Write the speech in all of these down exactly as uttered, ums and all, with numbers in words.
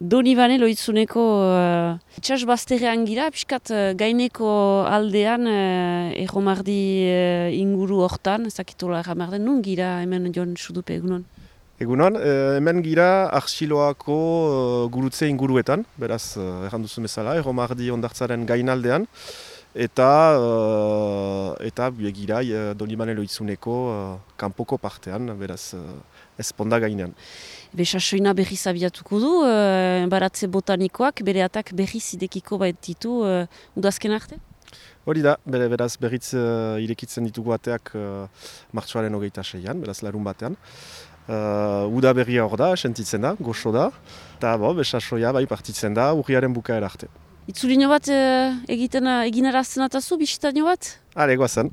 Donibane loitzuneko uh, itxas bazterrean gira, piskat uh, gaineko aldean uh, erromardi uh, inguru hortan, ez dakitola erramarden, nun gira hemen Jon Sudupe egunon? Egunon, eh, hemen gira Arxiloako uh, gurutze inguruetan, beraz uh, erran duzu bezala, erromardi ondartzaren gainaldean, eta uh, eta gira uh, Donibane loitzuneko uh, kanpoko partean, beraz uh, ezponda gainean. Besasoina berriz abiatuko du, uh, baratze botanikoak bere atak berriz idekiko baititu uh, udazken arte? Hori da, bere, beraz berriz uh, irekitzen ditugu ateak uh, martxoaren hogeita seian, beraz larun batean. Uh, uda berria hor da, sentitzen da, goxo da, eta bo, besasoia bai partitzen da urriaren bukaera arte. Itzulino bat uh, egiten, eginarazten atazu, bisitaino bat? Hale, goazen.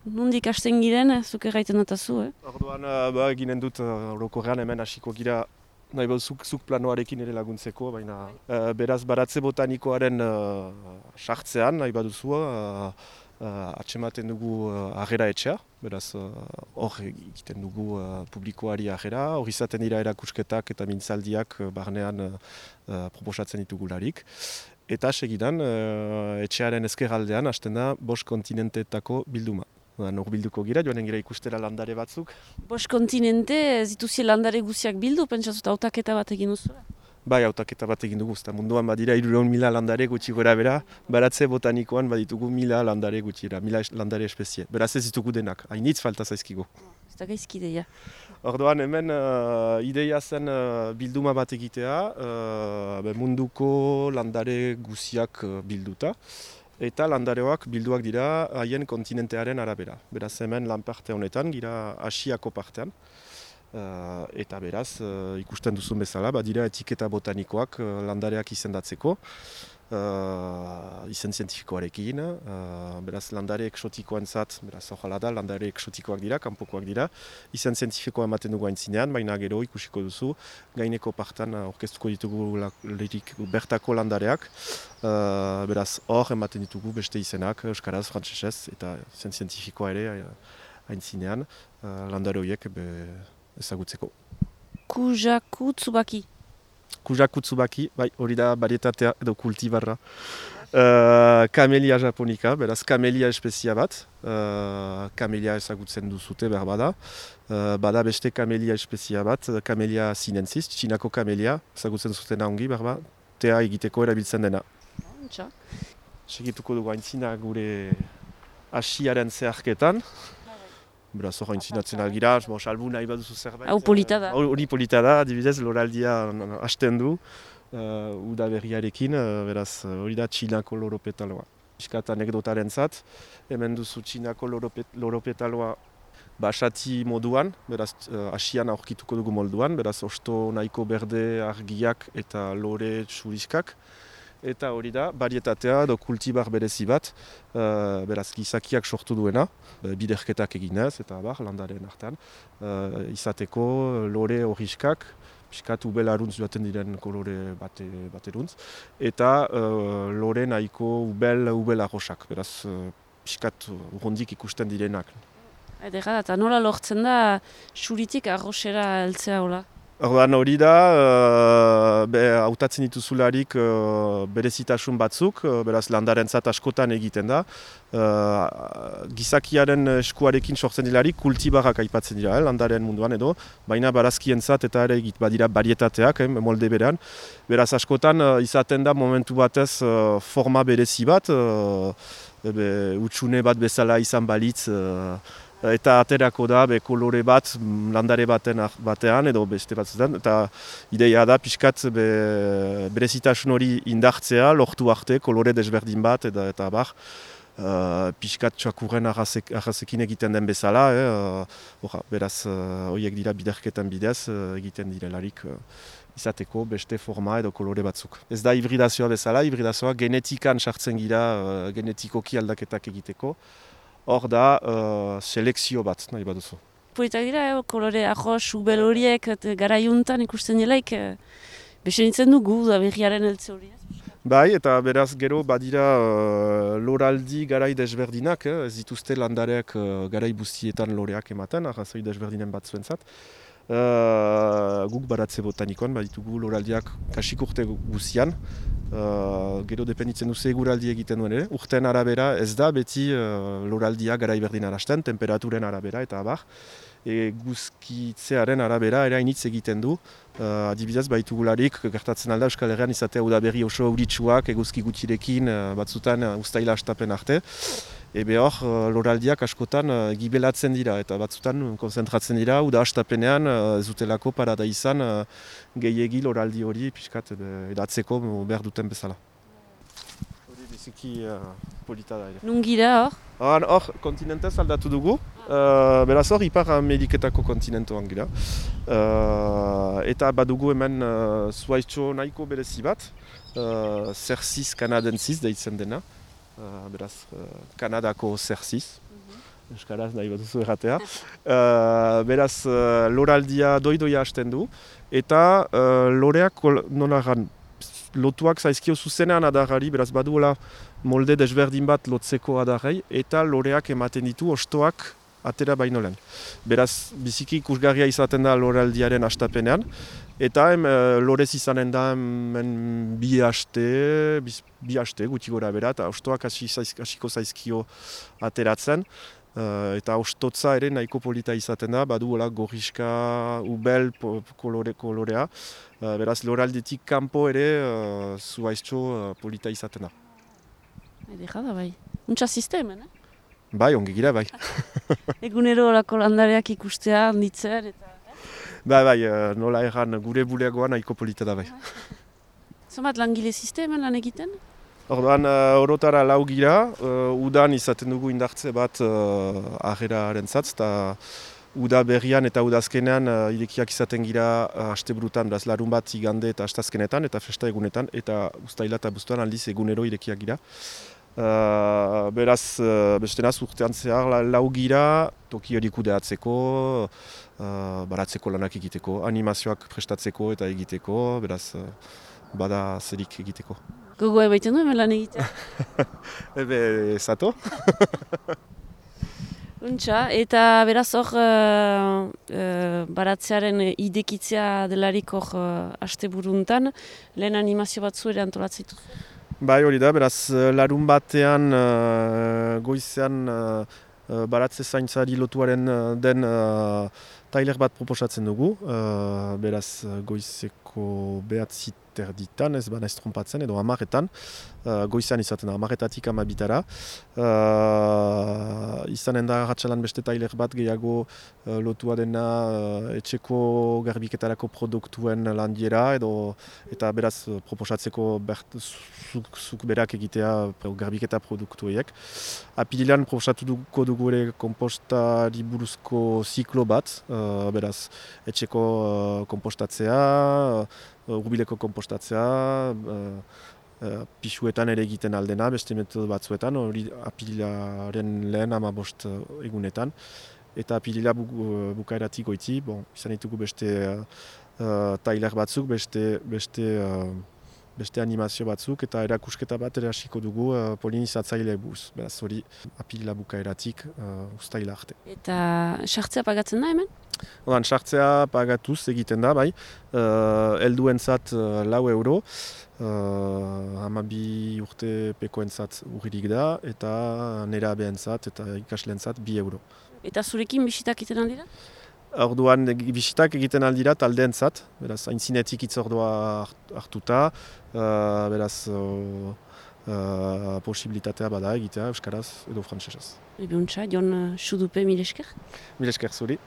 Nondik hasten giren, zuk erraiten atazu, eh? Orduan, uh, ba, eginen dut uh, orokorrean hemen hasiko gira nahi behar zuk, zuk planoarekin ere laguntzeko, baina uh, beraz baratze botanikoaren sartzean, uh, nahi baduzu, uh, uh, atxematen dugu uh, agera etxea, beraz hor uh, egiten dugu uh, publikoari agera, hor izaten dira erakusketak eta mintzaldiak uh, barnean uh, uh, proposatzen ditugularik. Eta segidan, uh, etxearen ezkerraldean hasten da bost kontinenteetako bilduma. Hor bilduko gira, joanen gira ikustera landare batzuk. Bost kontinente, zituzi landare guziak bildu, pentsatut hautaketa bat egin duzu? Bai, hautaketa bat egin dugu, eta munduan badira hirurehun mila landare gutxi gora bera, baratze botanikoan baditugu mila landare gutxira, mila landare espezie. Beraz ez ditugu denak, hainitz falta zaizkigu. Ez da gaizki ideia. Orduan hemen uh, ideia zen uh, bilduma bat egitea, uh, munduko landare guziak uh, bilduta. Eta landareoak bilduak dira haien kontinentearen arabera. Beraz hemen lan parte honetan, gira Asiako partean. Uh, eta beraz, uh, ikusten duzun bezala, badira etiketa botanikoak uh, landareak izendatzeko. Uh, izen zientifikoarekin, uh, beraz landare eksotikoentzat, beraz horrela da, landare eksotikoak dira, kanpokoak dira. Izen zientifikoa ematen dugu aintzinean, baina gero ikusiko duzu, gaineko partan orkestuko ditugu lirik bertako landareak. Uh, beraz hor ematen ditugu beste izenak, euskaraz, frantsesez, eta izen zientifikoa ere aintzinean, uh, landare horiek ezagutzeko. Kujaku Tsubaki. Kujaku Tsubaki, bai, hori da varietatea edo kultibarra. Uh, Camellia japonica, beraz Camellia espezia bat. Uh, Camellia ezagutzen duzute behar bada. Uh, bada beste Camellia espezia bat, Camellia sinensis, Txinako Camellia, ezagutzen zutena ongi behar bada. Tea egiteko erabiltzen dena. Txa. Segituko dugu aintzina gure asiaren zeharketan. Beraz, hor aintzinatzen algira, salbu nahi baduzu zerbait. Hau polita da. Hori polita da, adibidez, loraldia hasten du, uh, uda berriarekin, uh, beraz, hori da Txinako loropetaloa. Piskat anekdotaren zat, hemen duzu Txinako loropet, loropetaloa basati moduan, beraz, uh, asian aurkituko dugu molduan, beraz, osto nahiko berde argiak eta lore txuriskak. Eta hori da, varietatea edo kultibar berezi bat, uh, beraz gizakiak sortu duena, biderketak eginez eta bar, landaren artean, uh, izateko lore horiskak, piskat ubel aruntz joaten diren kolore bate, bateruntz, eta uh, lore nahiko ubel, ubel arrosak, beraz uh, piskat urrundik ikusten direnak. Edera, eta nola lortzen da xuritik arrosera heltzea hola? Orduan hori da, uh, hautatzen dituzularik uh, berezitasun batzuk, uh, beraz landarentzat askotan egiten da. Uh, gizakiaren eskuarekin sortzen dilarik kultibarrak aipatzen dira, eh, landaren munduan edo, baina barazkientzat eta ere egit badira varietateak, eh, molde berean. Beraz askotan uh, izaten da momentu batez uh, forma berezi bat, uh, ebe, utxune bat bezala izan balitz, uh, eta aterako da be kolore bat landare baten batean edo beste batzuetan, eta ideia da pixkat be, berezitasun hori indartzea, lortu arte kolore desberdin bat eta, eta bar, uh, pixkat txakurren arrazek, arrazekin egiten den bezala, eh, uh, orra, beraz horiek uh, dira biderketan bidez uh, egiten direlarik uh, izateko beste forma edo kolore batzuk. Ez da hibridazioa bezala, hibridazioa genetikan sartzen gira uh, genetikoki aldaketak egiteko. Hor da, uh, selekzio bat, nahi baduzu. Politak dira, eh, kolore arroz, ubel horiek, garaiuntan ikusten delaik, eh, besenitzen dugu da berriaren heltze hori. Bai, eta beraz gero badira uh, loraldi garai desberdinak, eh, ez dituzte landareak uh, garai buztietan loreak ematen, arrazoi desberdinen batzuentzat. Uh, guk baratze botanikoan, baditugu loraldiak kasik urte guzian. Uh, gero dependitzen duze eguraldi egiten duen ere. Urten arabera ez da beti uh, loraldia garai berdin arasten, temperaturen arabera eta abar. Eguzkitzearen arabera ere hainitz egiten du. Uh, adibidez baitugularik gertatzen alda Euskal Herrian izatea udaberri oso euritsuak eguzki gutxirekin uh, batzutan uh, ustaila hastapen arte. Ebe hor, loraldiak askotan uh, gibelatzen dira eta batzutan konzentratzen dira, uda hastapenean uh, ez dutelako parada izan uh, gehiegi loraldi hori pixkat edatzeko behar duten bezala. Hori biziki uh, polita da ere. Nungira hor? Hor, hor kontinentez aldatu dugu, uh, beraz hor Ipar Ameriketako kontinentoan gira. Uh, eta badugu hemen uh, zuhaitxo nahiko berezi bat, uh, Cercis canadensis deitzen dena. Uh, beraz, uh, Kanadako Cercis, mm-hmm. Euskaraz nahi bat duzu erratea. Uh, beraz, uh, loraldia doi-doia hasten du, eta uh, loreak nolagan lotuak zaizkio zuzenean adarrari, beraz baduela molde desberdin bat lotzeko adarrei, eta loreak ematen ditu ostoak atera baino lehen. Beraz, biziki ikusgarria izaten da loraldiaren hastapenean, eta em, e, lorez izanen da hemen bi haste, bi haste guti gora bera, eta ostoak hasiko zaizkio ateratzen. Uh, eta ostotza ere nahiko polita izaten da, baduela gorriska, ubel kolore, kolorea. Uh, beraz, loraldetik kanpo ere uh, zuhaiztxo uh, polita izaten da. Edera da bai. Untsa sistemen, eh? Bai, ongi gira, bai. Egunero horako landareak ikustea, handitzen, eta... Bai, bai, nola erran gure buleagoa nahiko polita da, bai. Zamat langile sistemen lan egiten? Orduan, uh, orotara lau gira, uh, udan izaten dugu indartze bat uh, aheraren zatz, eta uda berrian eta udazkenean uh, irekiak izaten gira uh, asteburutan, beraz larun bat igande eta astazkenetan, eta festa egunetan, eta ustaila eta buztuan aldiz egunero irekiak gira. Uh, beraz, uh, bestenaz urtean zehar la, lau gira, toki hori kudeatzeko, uh, baratzeko lanak egiteko, animazioak prestatzeko eta egiteko, beraz, uh, bada zerik egiteko. Gogoa baiten du hemen lan egitea? Ebe, zato. Untxa, eta beraz hor uh, uh, baratzearen idekitzea delarik hor uh, asteburuntan, lehen animazio batzu ere antolatzen dituzu? Bai, hori da, beraz, larun batean uh, goizean uh, baratze zaintzari lotuaren uh, den uh, tailer bat proposatzen dugu. Uh, beraz, goizeko behatzi terditan, ez bana ez trompatzen, edo hamarretan. Uh, goizean izaten da, hamarretatik hamabitara. Uh, izanen da ratxalan beste tailer bat gehiago uh, lotua dena uh, etxeko garbiketarako produktuen landiera, edo eta beraz proposatzeko bert, zuk, zuk berak egitea garbiketa produktueiek. Apirilean proposatuko dugu ere kompostari buruzko ziklo bat, uh, beraz etxeko uh, kompostatzea, uh, urbileko kompostatzea, uh, uh, pisuetan ere egiten aldena, beste metodo batzuetan, hori apirilaren lehen hamabost uh, egunetan. Eta apirila bu, uh, bukaeratik goiti, bon, izan ditugu beste uh, uh, tailer batzuk, beste, beste, uh, beste animazio batzuk, eta erakusketa bat ere hasiko dugu uh, polinizatzaile buz. Beraz hori apirila bukaeratik uh, ustaila arte. Eta sartzea pagatzen da hemen? Odan, sartzea pagatuz egiten da, bai. Uh, Elduentzat uh, lau euro, uh, hamabi urte pekoentzat urririk da, eta nerabeentzat eta ikasleentzat bi euro. Eta zurekin bisitak egiten aldira? Orduan bisitak egiten aldira taldeentzat, beraz aintzinetik hitzordua hartuta, uh, beraz uh, uh, posibilitatea bada egitea euskaraz edo frantsesez. Ebe untsa, Jon Sudupe, mil esker? Mil esker zuri.